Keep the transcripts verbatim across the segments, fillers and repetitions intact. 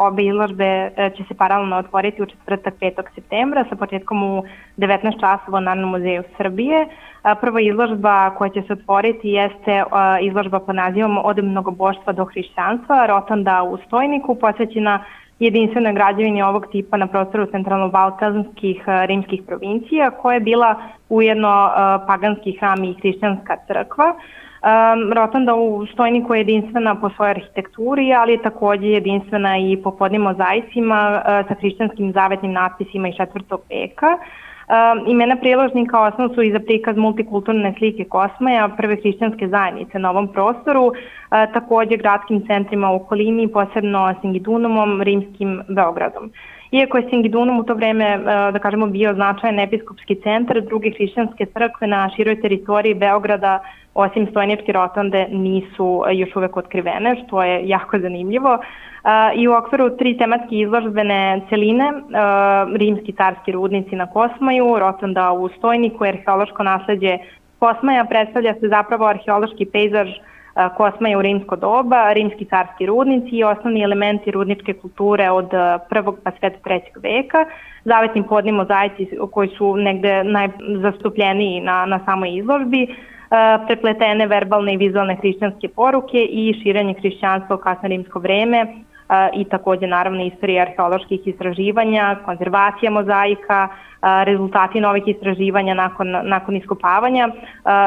Obe izložbe će se paralelno otvoriti u četvrtak petog septembra sa početkom u devetnaest časova u Narodnom muzeju Srbije. Prva izložba koja će se otvoriti jeste izložba pod nazivom Od mnogoboštva do hrišćanstva, Rotonda u Stojniku, posvećena jedinstvenoj građevini ovog tipa na prostoru centralno-balkanskih rimskih provincija, koja je bila ujedno paganski hram i hrišćanska crkva. Rotonda u Stojniku je jedinstvena po svojoj arhitekturi, ali je takođe jedinstvena i po podnim mozaicima sa hrišćanskim zavetnim natpisima iz četvrtog veka. Imena priložnika osnov su i za prikaz multikulturne slike Kosmaja, prve hrišćanske zajednice na ovom prostoru, takođe gradskim centrima u okolini, posebno Singidunumom, rimskim Beogradom. Iako je Singidunum u to vreme, da kažemo, bio značajan episkopski centar, druge hrišćanske crkve na široj teritoriji Beograda, osim Stojničke rotonde, nisu još uvek otkrivene, što je jako zanimljivo. I u okviru tri tematske izložbene celine, rimski carski rudnici na Kosmaju, rotonda u Stojniku, arheološko nasleđe Kosmaja, predstavlja se zapravo arheološki pejzaž Kosmaja u rimsko doba, rimski carski rudnici i osnovni elementi rudničke kulture od prvog pa sve do trećeg veka, zavetni podni mozaici koji su negde najzastupljeniji na, na samoj izložbi, prepletene verbalne i vizualne hrišćanske poruke i širenje hrišćanstva u kasno rimsko vreme i takođe naravno istorija arheoloških istraživanja, konzervacija mozaika, rezultati novih istraživanja nakon, nakon iskopavanja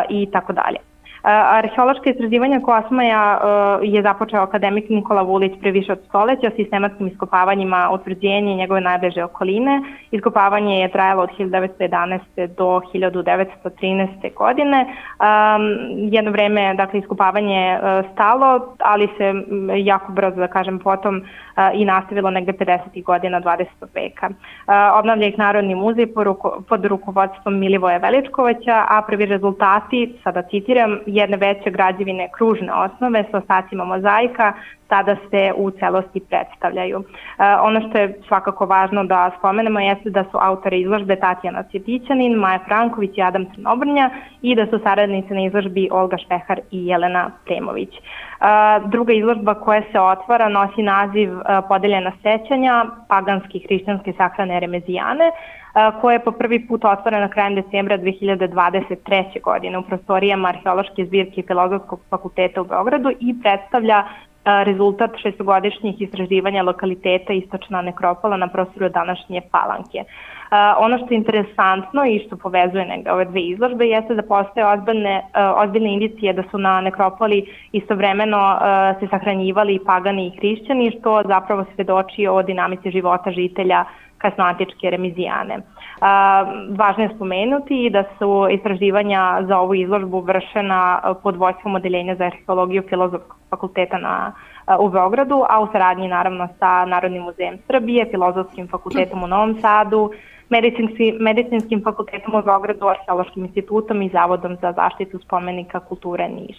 i tako dalje. Arheološka istraživanja Kosmaja je započeo akademik Nikola Vulić pre više od stoleća sistematskim iskopavanjima utvrđenja njegove najbliže okoline. Iskopavanje je trajalo od hiljadu devetsto jedanaeste. do hiljadu devetsto trinaeste. godine. Jedno vreme, dakle, iskopavanje je stalo, ali se jako brzo, da kažem, potom i nastavilo negde pedesetih godina dvadesetog veka. Obnavlja ih Narodni muzej pod rukovodstvom Milivoja Veličkovića, a prvi rezultati, sada citiram, jedne veće građevine kružne osnove sa ostacima mozaika sada se u celosti predstavljaju. Ono što je svakako važno da spomenemo jeste da su autori izložbe Tatjana Cvjetićanin, Maja Franković i Adam Crnobrnja i da su saradnice na izložbi Olga Špehar i Jelena Premović. Druga izložba koja se otvara nosi naziv Podeljena sećanja, paganske i hrišćanske sahrane Remezijane, koja je po prvi put otvorena krajem decembra dve hiljade dvadeset treće. godine u prostorijama arheološke zbirke Filozofskog fakulteta u Beogradu i predstavlja rezultat šestogodišnjih istraživanja lokaliteta Istočna nekropola na prostoru današnje Palanke. Ono što je interesantno i što povezuje negde ove dve izložbe jeste da postoje ozbiljne, ozbiljne indicije da su na nekropoli istovremeno se sahranjivali i pagani i hrišćani, što zapravo svedoči o dinamici života žitelja kasnoantičke Remizijane. Važno je spomenuti i da su istraživanja za ovu izložbu vršena pod vođstvom Odeljenja za arheologiju Filozofskog fakulteta na, u Beogradu, a u saradnji naravno sa Narodnim muzejem Srbije, Filozofskim fakultetom u Novom Sadu, Medicinski, Medicinskim fakultetom u Beogradu, Arheološkim institutom i Zavodom za zaštitu spomenika kulture Niš.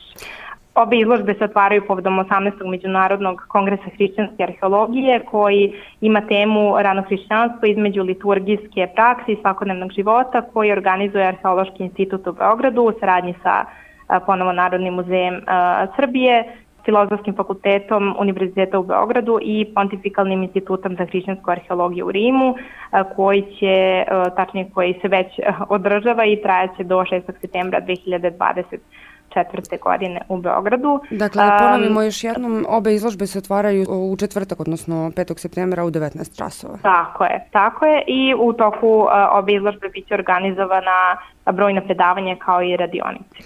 Obe izložbe se otvaraju povodom osamnaestog Međunarodnog kongresa hrišćanske arheologije, koji ima temu rano hrišćanstvo između liturgijske prakse i svakodnevnog života, koji organizuje Arheološki institut u Beogradu u saradnji sa ponovo Narodnim muzejem Srbije, Filozofskim fakultetom Univerziteta u Beogradu i Pontifikalnim institutom za hrišćansku arheologiju u Rimu, koji će, tačnije koji se već održava i trajaće do šestog septembra dve hiljade dvadeset četvrte. godine u Beogradu. Dakle, da ponovimo još jednom, obe izložbe se otvaraju u četvrtak, odnosno petog septembra u devetnaest časova. Tako je, tako je i u toku obe izložbe biće organizovana brojna predavanja kao i radionice.